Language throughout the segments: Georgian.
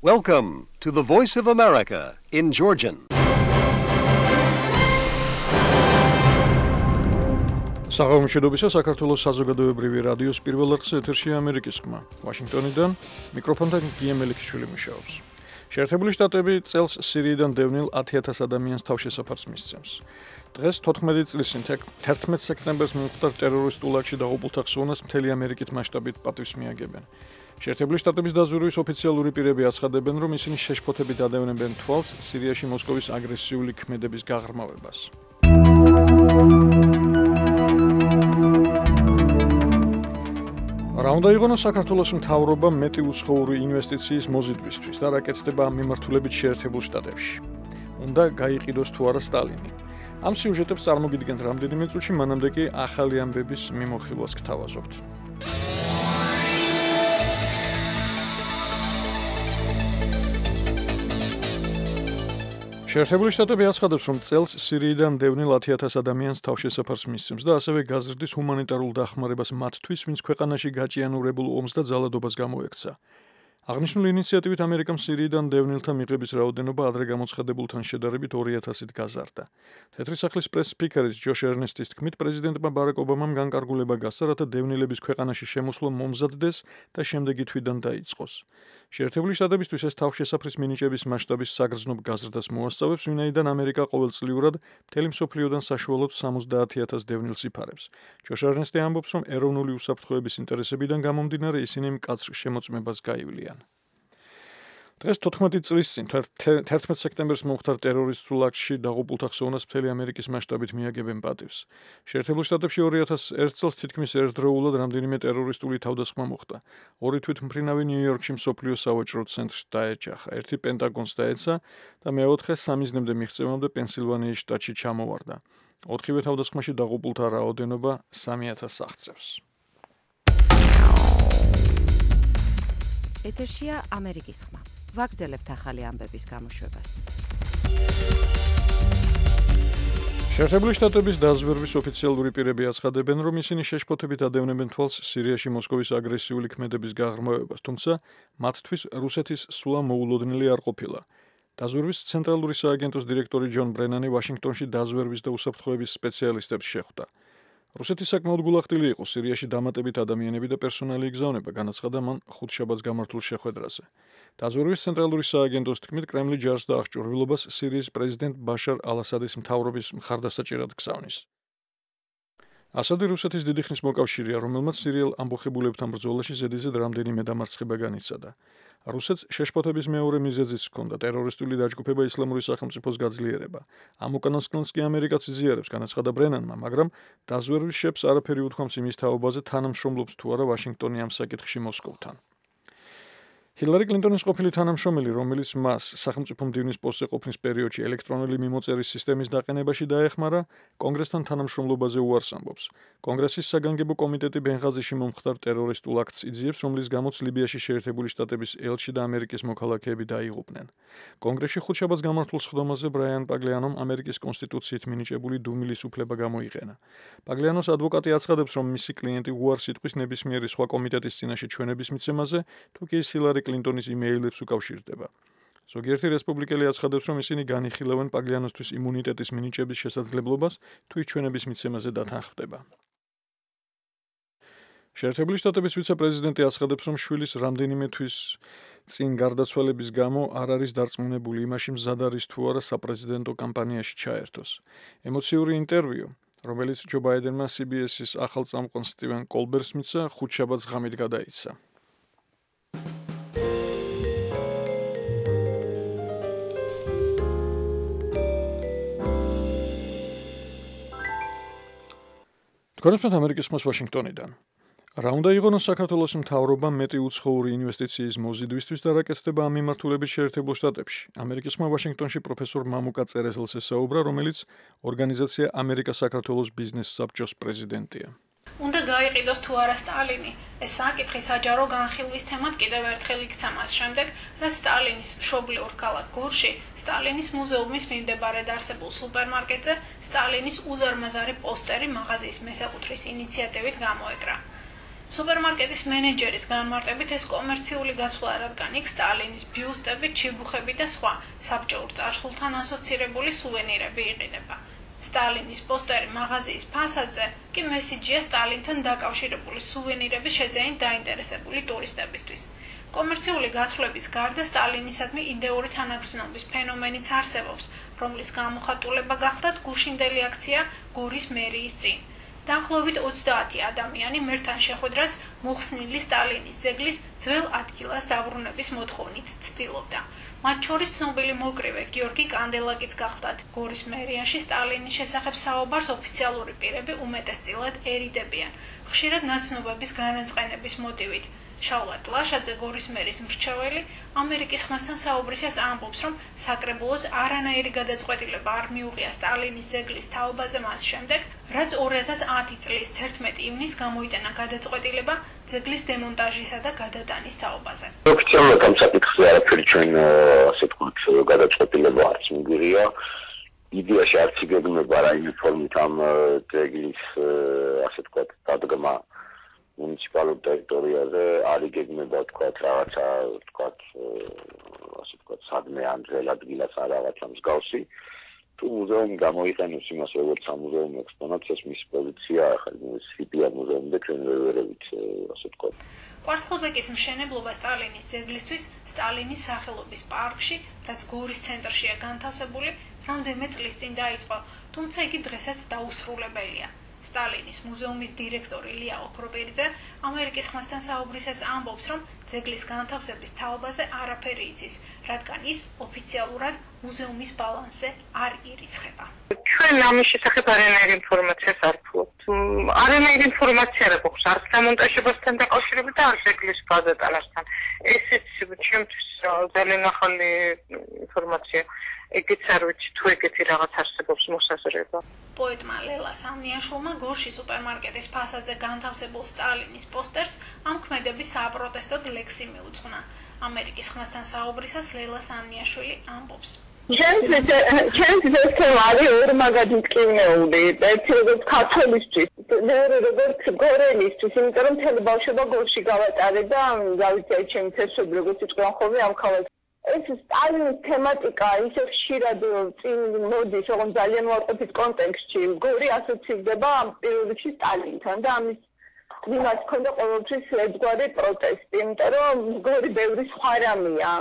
Welcome to the Voice of America in Georgian. Საღამომშვიდობისა საქართველოს საზოგადოებრივი რადიოს პირველ არხზე ეთერშია ამერიკის ხმა. ვაშინგტონიდან მიკროფონთან გიემელიქიშვილი მუშაობს. შეერთებული შტატები წელს სირიიდან დევნილ 10,000 ადამიანს თავშესაფარს მისცემს. დღეს 14 წლის წინ 11 სექტემბერს მომხდარ ტერორისტულ აქტში დაღუპულთა ხსოვნას მთელი ამერიკით მასშტაბით პატივს მიაგებენ. შეერთებული შტატების დაზვერვის ოფიციალური პირები აცხადებენ, რომ ისინი შეშფოთებით ადევნებენ თვალს სირიაში მოსკოვის აგრესიული ქმედების გაღრმავებას. რა უნდა იღონოს საქართველოს მთავრობა მეტი უცხოური ინვესტიციის მოზიდვისთვის და რა კეთდება ამ მიმართულებით შეერთებულ შტატებში. უნდა გაიყიდოს თუ არა სტალინი. ამ სიუჟეტებს წარმოგიდგენთ რამდენიმე წუთში, მანამდე კი ახალი ამბების მიმოხილვას გთავაზობთ. შეერთებული შტატები აცხადებს, რომ წელს სირიიდან დევნილ 10,000 ადამიანს თავშესაფარს მისცემს და ასევე გაზრდის ჰუმანიტარულ დახმარებას მათთვის, ვინც ქვეყანაში გაჭიანურებულ ომს და ძალადობას გამოექცა. აღნიშნული ინიციატივით ამერიკამ სირიიდან დევნილთა მიღების რაოდენობა ადრე გამოცხადებულთან შედარებით 2,000-ით გაზარდა. თეთრი სახლის პრეს-სპიკერის ჯოშ ერნესტის თქმით, პრეზიდენტმა ბარაკ ობამამ განკარგულება გასცა, რათა დევნილების ქვეყანაში შემოსვლა მომზადდეს და შემდეგი თვიდან დაიწყოს. შეერთებული შტატებისთვის ეს თავშესაფრის მინიჭების მასშტაბის საგრძნობ გაზრდას მოასწავებს, ვინაიდან ამერიკა ყოველწლიურად მთელი მსოფლიოდან საშუალოდ 70,000 დევნილს იფარებს. ჯოშ ერნესტი ამბობს, რომ ეროვნული უსაფრთხოების ინტერესებიდან გამომდინარე ისინი მკაცრ შემოწმებას გაივლიან. დღეს 14 წლის წინ 11 სექტემბერს მომხდარ ტერორისტულ აქტში დაღუპულთა ხსოვნას მთელი ამერიკის მასშტაბით მიაგებენ პატივს. შეერთებულ შტატებში 2001 წელს თითქმის ერთდროულად რამდენიმე ტერორისტული თავდასხმა მოხდა. ორი თვითმფრინავი ნიუ-იორკში მსოფლიო სავაჭრო ცენტრს დაეჯახა, ერთი პენტაგონს დაეცა და მეოთხე სამიზნემდე მიღწევამდე პენსილვანიის შტატში ჩამოვარდა. ოთხივე თავდასხმაში დაღუპულთა რაოდენობა 3,000 აღწევს. ეთერშია ამერიკის ხმა. ვაგრძელებთ ახალი ამბების გამოშვებას. შეერთებული შტატების დაზვერვის ოფიციალური პირები აცხადებენ, რომ ისინი შეშფოთებით ადევნებენ თვალს სირიაში მოსკოვის აგრესიული ქმედების გაღრმავებას, თუმცა მათთვის რუსეთის სვლა მოულოდნელი არ ყოფილა. დაზვერვის ცენტრალური სააგენტოს დირექტორი ჯონ ბრენანი ვაშინგტონში დაზვერვის და უსაფრთხოების სპეციალისტებს შეხვდა. რუსეთი საკმაოდ გულახდილი იყო სირიაში დამატებით ადამიანები და პერსონალი იგზავნება, განაცხადა მან ხუთშაბათს გამართულ შეხვედრაზე. დაზვერვის ცენტრალური სააგენტოს თქმით, კრემლი ჯარს და აღჭურვილობას სირიის პრეზიდენტ ბაშარ ალ-ასადის მთავრობის მხარდასაჭერად გზავნის. ასადი რუსეთის დიდი ხნის მოკავშირეა, რომელმაც სირიელ ამბოხებულებთან ბრძოლაში ზედიზედ რამდენიმე დამარცხება განიცადა. რუსეთს შეშფოთების მეორე მიზეზიც ჰქონდა ტერორისტული დაჯგუფება ისლამური სახელმწიფოს გაძლიერება. ამ უკანასკნელს კი ამერიკაც იზიარებს, განაცხადა ბრენანმა, მაგრამ დაზვერვის შეფს არაფერი უთქვამს იმის თაობაზე, თანამშრომლობს თუ არა ვაშინგტონი ამ საკითხში მოსკოვთან. ჰილარი კლინტონის ყოფილი თანამშრომელი, რომელიც მას სახელმწიფო მდივნის პოსტზე ყოფნის პერიოდში ელექტრონული მიმოწერის სისტემის დაყენებაში დაეხმარა, კონგრესთან თანამშრომლობაზე უარს ამბობს. კონგრესის საგანგებო კომიტეტი ბენღაზიში მომხდარ ტერორისტულ აქტს იძიებს, რომლის გამოც ლიბიაში შეერთებული შტატების ელჩი და ამერიკის მოქალაქეები დაიღუპნენ. კონგრესში ხუთშაბათს გამართულ სხდომაზე ბრაიან პაგლიანომ ამერიკის კონსტიტუციით მინიჭებული დუმილის უფლება გამოიყენა. პაგლიანოს ადვოკატი აცხადებს, რომ მისი კლიენტი უარს იტყვის ნებისმიერი სხვა კომიტეტის წინაშე ჩვენების მიცემაზე, თუკი ის ჰილარი კლინტონის იმეილებს უკავშირდება. ზოგიერთი რესპუბლიკელი აცხადებს, რომ ისინი განიხილავენ პაგლიანოსთვის იმუნიტეტის მინიჭების შესაძლებლობას, თუ ის ჩვენების მიცემაზე დათანხმდება. შეერთებული შტატების ვიცე-პრეზიდენტი აცხადებს, რომ შვილის რამდენიმე თვის წინ გარდაცვალების გამო არ არის დარწმუნებული იმაში, მზად არის თუ არა საპრეზიდენტო კამპანიაში ჩაერთოს. ემოციური ინტერვიუ, რომელიც ჯო ბაიდენმა CBS-ის ახალ წამყვან სტივენ კოლბერს მიცა, ხუთშაბათს ღამით გადაიცა. კონსტიტუცია ამერიკის ხმას ვაშინგტონიდან. რა უნდა იღონოს საქართველოს მთავრობამ მეტი უცხოური ინვესტიციის მოზიდვისთვის და რა კეთდება ამ მიმართულებით შეერთებულ შტატებში. ამერიკის ხმა ვაშინგტონში პროფესორ მამუკა წერეთელს ესაუბრა, რომელიც ორგანიზაცია ამერიკა-საქართველოს ბიზნეს საბჭოს პრეზიდენტია. უნდა გაიყიდოს თუ არა სტალინი. ეს საკითხი საჯარო განხილვის თემად კიდევ ერთხელ იქცა მას შემდეგ, რაც სტალინის მშობლიურ ქალაქ გორში სტალინის მუზეუმის მიმდებარედ არსებულ სუპერმარკეტზე სტალინის უზარმაზარი პოსტერი მაღაზიის მესაკუთრის ინიციატივით გამოეკრა. სუპერმარკეტის მენეჯერის განმარტებით ეს კომერციული გაცვლა, რადგან იქ სტალინის ბიუსტები, ჩიბუხები და სხვა საბჭოურ წარსულთან ასოცირებული სუვენირები იყიდება. სტალინის პოსტერი მაღაზიის ფასადზე კი მესიჯია სტალინთან დაკავშირებული სუვენირების შეძენით დაინტერესებული ტურისტებისთვის. კომერციული გაცვლების გარდა სტალინისადმი იდეური თანაგრძნობის ფენომენიც არსებობს, რომლის გამოხატულება გახდათ გუშინდელი აქცია გორის მერიის წინ. დაახლოებით 30 ადამიანი მერთან შეხვედრას მოხსნილი სტალინის ძეგლის ძველ ადგილას დაბრუნების მოთხოვნით ცდილობდა. მათ შორის ცნობილი მოკრივე გიორგი კანდელაკიც გახდათ. გორის მერიაში სტალინის შესახებ საუბარს ოფიციალური პირები უმეტესწილად ერიდებიან, ხშირად ნაცნობების განაწყენების მოტივით. შავლად ლაშაძე, გორის მერის მრჩეველი, ამერიკის ხმასთან საუბრისას ამბობს, რომ საკრებულოს არანაირი გადაწყვეტილება არ მიუღია სტალინის ძეგლის თაობაზე მას შემდეგ, რაც 2010 წლის 11 ივნისს გამოიტანა გადაწყვეტილება ძეგლის დემონტაჟისა და გადატანის თაობაზე. ოფიციალურად ამ საკითხზე არაფერი ჩვენ ასე ვთქვათ გადაწყვეტილება არც მიგვიღია. იდეაში არც იგეგმება რაიმე ფორმით ამ ძეგლის ასე ვთქვათ დადგმა მუნიციპალურ ტერიტორიაზე არ იგეგმება ვთქვათ რაღაცა ვთქვათ ასე ვთქვათ სადმე ან ძველ ადგილას არ რაღაცა მსგავსი. თუ მუზეუმი გამოიყენებს იმას როგორც სამუზეუმო ექსპონატს, ეს მისი პოზიცია ახლა სიტია მუზეუმი და ჩვენ ვერევით ასე ვთქვათ. კვარცხლბეკის მშენებლობა სტალინის ძეგლისთვის სტალინის სახელობის პარკში, რაც გორის ცენტრშია განთავსებული, რამდენიმე წლის წინ დაიწყო, თუმცა იგი დღესაც დაუსრულებელია. სტალინის მუზეუმის დირექტორი ლია ოქროპირიძე ამერიკის ხმასთან საუბრისას ამბობს, რომ ძეგლის განთავსების თაობაზე არაფერი იცის, რადგან ის ოფიციალურად მუზეუმის ბალანსზე არ ირიცხება. ჩვენ ამის შესახებ არანაირი ინფორმაციას არ ვფლობთ. არანაირი ინფორმაცია არ გვაქვს არც დამონტაჟებასთან დაკავშირებით და არც ძეგლის გადატანასთან. ესეც ჩემთვის ძალიან ახალი ინფორმაცია. ეგეც არ ვიცი თუ ეგეთი რაღაც არსებობს მოსაზრება. პოეტმა ლელა სამნიაშვილმა გორში სუპერმარკეტის ფასადზე განთავსებულ სტალინის პოსტერს ამ ქმედების საპროტესტოდ ლექსი მიუძღვნა. ამერიკის ხმასთან საუბრისას ლელა სამნიაშვილი ამბობს. ჩემთვის ეს თემა არის ორმაგად მტკივნეული. ერთი როგორც ქართველისთვის, მეორე როგორც გორელისთვის, იმიტომ რომ მთელი ბავშვობა გორში გავატარე და გავიცი ჩემი თესობი როგორც იყვნენ ხოლმე ამ ქალაქში. ეს სტალინის თემატიკა ისე ხშირად წინ მოდის, რომ ძალიან უარყოფით კონტექსტში. გორი ასოცირდება პირველ რიგში სტალინთან და ამის მიმართ ქონდა ყოველთვის ერთგვარი პროტესტი, იმიტომ რომ გორი ბევრი სხვა რამეა.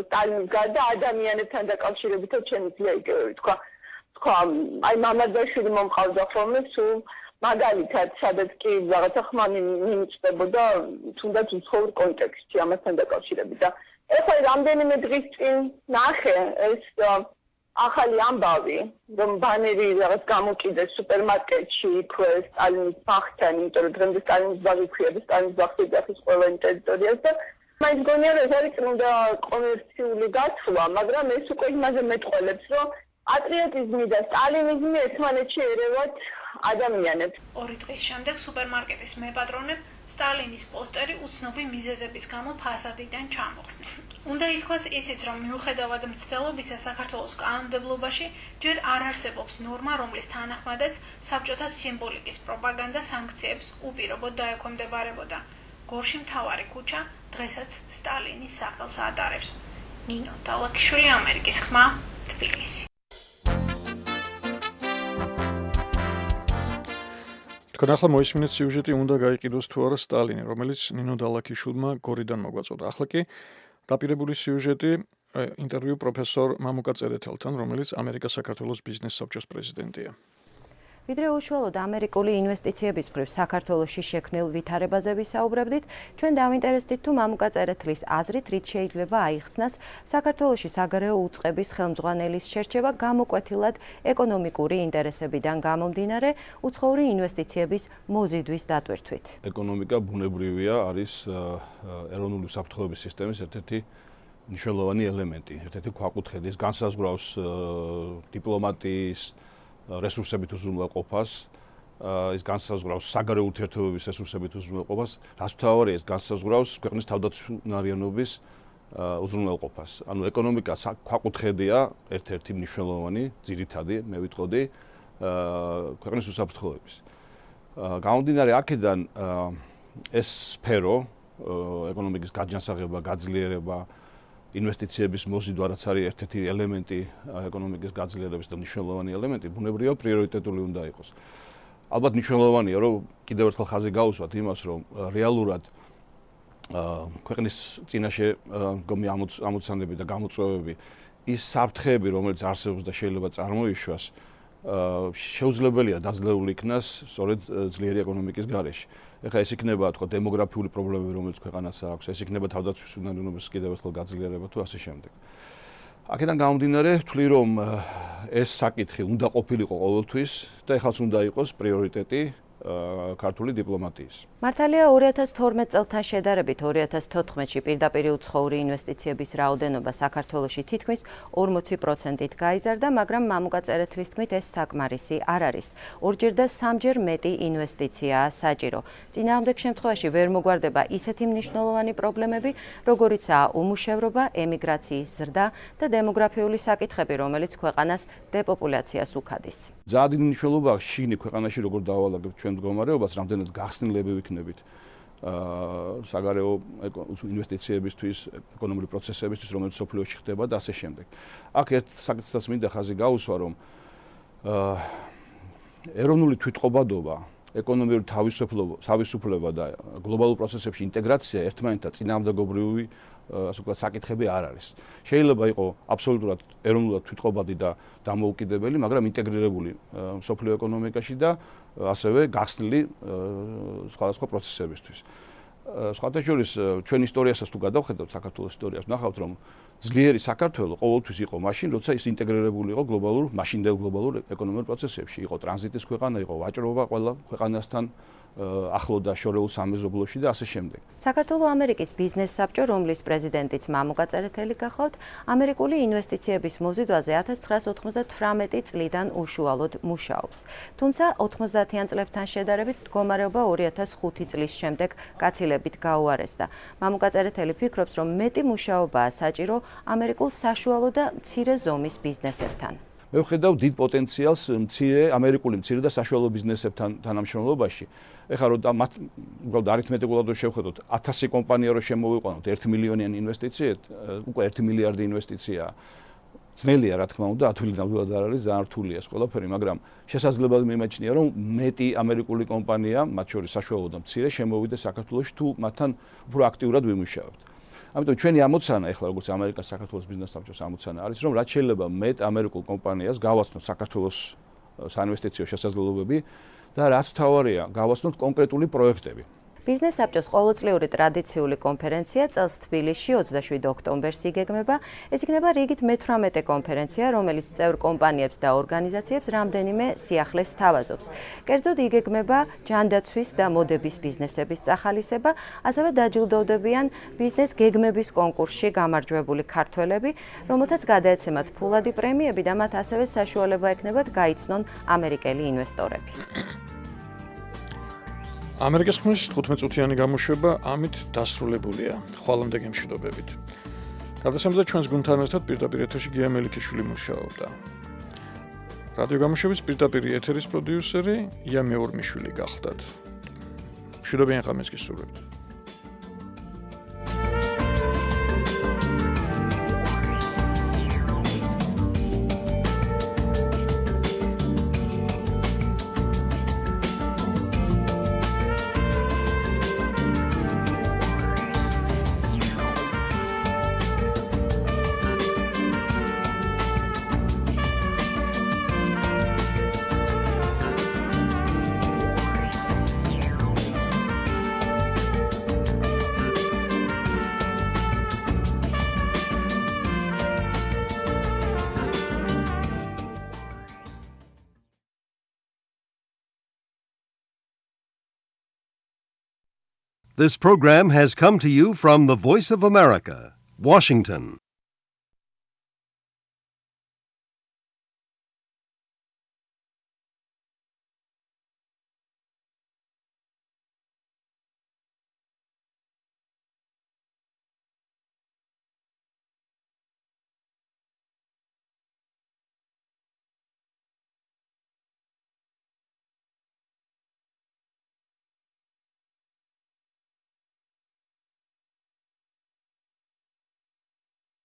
სტალინის გარდა ადამიანებთან დაკავშირებითაც შემიძლია იგივე ვთქვა. აი მამაძაშვილი მომყავდა ხოლმე სულ მაგალითად, სადაც კი რაღაცა ხმა მიმწდებოდა თუნდაც უცხოურ კონტექსტში ამასთან დაკავშირებით და ეხლა რამდენიმე დღის წინ ნახე ეს ახალი ამბავი, რომ ბანერი რაღაც გამოკიდეს სუპერმარკეტში იქვე სტალინის ბაღთან, იმიტომ რომ დღემდე სტალინის ბაღი ქვია და სტალინის ბაღს ეძახის ყველა ტერიტორიას და მაინც გონია რომ ეს არის წმინდა კომერციული გაცვლა, მაგრამ ეს უკვე იმაზე მეტყველებს, რომ პატრიოტიზმი და სტალინიზმი ერთმანეთში ერევათ ადამიანებს. 2 დღის შემდეგ სუპერმარკეტის მეპატრონებ სტალინის პოსტერი უცნობი მიზეზების გამო ფასადიდან ჩამოხსნეს. უნდა ითქვას ისიც, რომ მიუხედავად მცდელობისა საქართველოს კანონმდებლობაში ჯერ არ არსებობს ნორმა, რომლის თანახმადაც საბჭოთა სიმბოლიკის პროპაგანდა სანქციებს უპირობოდ დაექვემდებარებოდა. გორში მთავარი ქუჩა დღესაც სტალინის სახელს ატარებს. ნინო დალაკიშვილი, ამერიკის ხმა, თბილისი. თქვენ ახლა მოისმინეთ სიუჟეტი უნდა გაიყიდოს თუ არა სტალინი, რომელიც ნინო დალაკიშვილმა გორიდან მოგვაწოდა. ახლა კი დაპირებული სიუჟეტი ინტერვიუ პროფესორ მამუკა წერეთელთან, რომელიც ამერიკა-საქართველოს ბიზნეს საბჭოს პრეზიდენტია. ვიდრე უშუალოდ ამერიკული ინვესტიციების მხრივ საქართველოში შექმნილ ვითარებაზე ვისაუბრებდით, ჩვენ დავინტერესდით თუ მამუკა წერეთლის აზრით რით შეიძლება აიხსნას საქართველოში საგარეო უწყების ხელმძღვანელის შერჩევა გამოკვეთილად ეკონომიკური ინტერესებიდან გამომდინარე უცხოური ინვესტიციების მოზიდვის დატვირთვით. ეკონომიკა ბუნებრივია, არის ეროვნული უსაფრთხოების სისტემის ერთ-ერთი მნიშვნელოვანი ელემენტი, ერთ-ერთი ქვაკუთხედი, ის განსაზღვრავს დიპლომატიის რესურსებით უზრუნველყოფას, ის განსაზღვრავს საგარეო ურთიერთობების რესურსებით უზრუნველყოფას, რაც მთავარია, ის განსაზღვრავს ქვეყნის თავდაცვნარიანობის უზრუნველყოფას. ანუ ეკონომიკა ქვაკუთხედია, ერთ-ერთი მნიშვნელოვანი, ძირითადი, მე ვიტყოდი, ქვეყნის უსაფრთხოების. გამომდინარე აქედან ეს სფერო ეკონომიკის გაჯანსაღება, გაძლიერება, ინვესტიციების მოზიდვა, რაც არის ერთ-ერთი ელემენტი ეკონომიკის გაძლიერების და მნიშვნელოვანი ელემენტი, ბუნებრივია პრიორიტეტული უნდა იყოს. ალბათ მნიშვნელოვანია, რომ კიდევ ერთხელ ხაზი გაუსვათ იმას, რომ რეალურად ქვეყნის წინაშე მდგომი ამოცანები და გამოწვევები, ის საფრთხეები, რომელიც არსებობს და შეიძლება წარმოიშვას, შეუძლებელია დაძლეული იქნას სწორედ ძლიერი ეკონომიკის გარეშე. ეხლა ეს იქნება თქო დემოგრაფიული პრობლემები, რომელიც ქვეყანას აქვს, ეს იქნება თავდაცვის უნარიანობის კიდევ ერთხელ გაძლიერება თუ ასე შემდეგ. აქედან გამომდინარე, ვთვლი რომ ეს საკითხი უნდა ყოფილიყო ყოველთვის და ეხლაც უნდა იყოს პრიორიტეტი ქართული დიპლომატიის. მართალია 2012 წელთან შედარებით 2014-ში პირდაპირ უცხოური ინვესტიციების რაოდენობა საქართველოში თითქმის 40%-ით გაიზარდა, მაგრამ მამუკა წერეთლის თქმით ეს საკმარისი არ არის. ორჯერ და სამჯერ მეტი ინვესტიციაა საჭირო. წინააღმდეგ შემთხვევაში ვერ მოგვარდება ისეთი მნიშვნელოვანი პრობლემები, როგორიცაა უმუშევრობა, ემიგრაციის ზრდა და დემოგრაფიული საკითხები, რომელიც ქვეყანას დეპოპულაციას უქადის. ძალიან დიდი მნიშვნელობა აქვს შიგნით ქვეყანაში როგორ დაავალაგებთ ჩვენ მდგომარეობას, რამდენად გახსნილები ვიქნებით საგარეო ინვესტიციებისთვის, ეკონომიკური პროცესებისთვის, რომელიც სოფლიოში ხდება და ასე შემდეგ. აქ ერთ საკითხსაც მინდა ხაზი გაუსვა, რომ ეროვნული თვითყოფადობა, ეკონომიური თავისუფლება და გლობალურ პროცესებში ინტეგრაცია ერთმანეთთან წინააღმდეგობრივი ასე ვთქვათ საკითხები არ არის. შეიძლება იყოს აბსოლუტურად ეროვნულად თვითყოფადი და დამოუკიდებელი, მაგრამ ინტეგრირებული სოფლიო ეკონომიკაში და ასევე გახსნილი სხვადასხვა პროცესებისთვის. სხვათა შორის ჩვენ ისტორიასაც თუ გადავხედავთ, საქართველოს ისტორიას, ვნახავთ რომ ძლიერი საქართველო ყოველთვის იყო მაშინ, როცა ის ინტეგრირებული იყო მაშინდელ გლობალურ ეკონომიკურ პროცესებში, იყო ტრანზიტის ქვეყანა, იყო ვაჭრობა ყველა ქვეყანასთან ახლო და შორეულ სამეზობლოში და ასე შემდეგ. საქართველო-ამერიკის ბიზნეს საბჭო, რომლის პრეზიდენტიც მამუკა წერეთელი გახლავთ, ამერიკული ინვესტიციების მოზიდვაზე 1998 წლიდან უშუალოდ მუშაობს. თუმცა 90-იან წლებთან შედარებით მდგომარეობა 2005 წლის შემდეგ გაცილებით გაუარესდა. მამუკა წერეთელი ფიქრობს, რომ მეტი მუშაობაა საჭირო ამერიკულ საშუალო და მცირე ზომის ბიზნესებთან. მე ვხედავ დიდ პოტენციალს ამერიკული მცირე და საშუალო ბიზნესებთან თანამშრომლობაში. ეხლა რომ მათ უბრალოდ არითმეტიკულად შევხედოთ 1000 კომპანია რომ შემოვიყვანოთ 1 მილიონიანი ინვესტიციით, უკვე 1 მილიარდი ინვესტიციაა. ძნელია რა თქმა უნდა, ათვილი ნამდვილად არ არის, ძალიან რთულია ეს ყველაფერი, მაგრამ შესაძლებლად მიმაჩნია რომ მეტი ამერიკული კომპანია, მათ შორის საშუალო და მცირე, შემოვიდეს საქართველოში თუ მათთან უფრო აქტიურად ვიმუშავებთ. ამიტომ ჩვენი ამოცანა ეხლა როგორც ამერიკას საქართველოს ბიზნეს საბჭოს ამოცანა არის რომ რაც შეიძლება მეტ ამერიკულ კომპანიას გავაცნოთ საქართველოს საინვესტიციო შესაძლებლობები და რაც თავარია გავაცნოთ კონკრეტული პროექტები. ბიზნეს საბჭოს ყოველწლიური ტრადიციული კონფერენცია წელს თბილისში 27 ოქტომბერს იგეგმება. ეს იქნება რიგით მე-18 კონფერენცია, რომელიც წევრ კომპანიებს და ორგანიზაციებს რამდენიმე სიახლეს სთავაზობს. კერძოდ იგეგმება ჯანდაცვის და მოდების ბიზნესების წახალისება, ასევე დაჯილდოვდებიან ბიზნეს გეგმების კონკურსში გამარჯვებული ქართველები, რომელთაც გადაეცემათ ფულადი პრემიები და მათ ასევე საშუალება ექნებათ გაიცნონ ამერიკელი ინვესტორები. ამერიკის ხმის 15 წუთიანი გამოშვება ამით დასრულებულია. ხვალამდე გემშვიდობებით. გადასამდა ჩვენს გუნდთან ერთად პირდაპირ ეთერში გია მელიქიშვილი მუშაობდა. რადიო გამოშვების პირდაპირ ეთერის პროდიუსერი ია მეორმიშვილი გახლდათ. მშვიდობიან ღამეს გისურვებთ. This program has come to you from the Voice of America, Washington.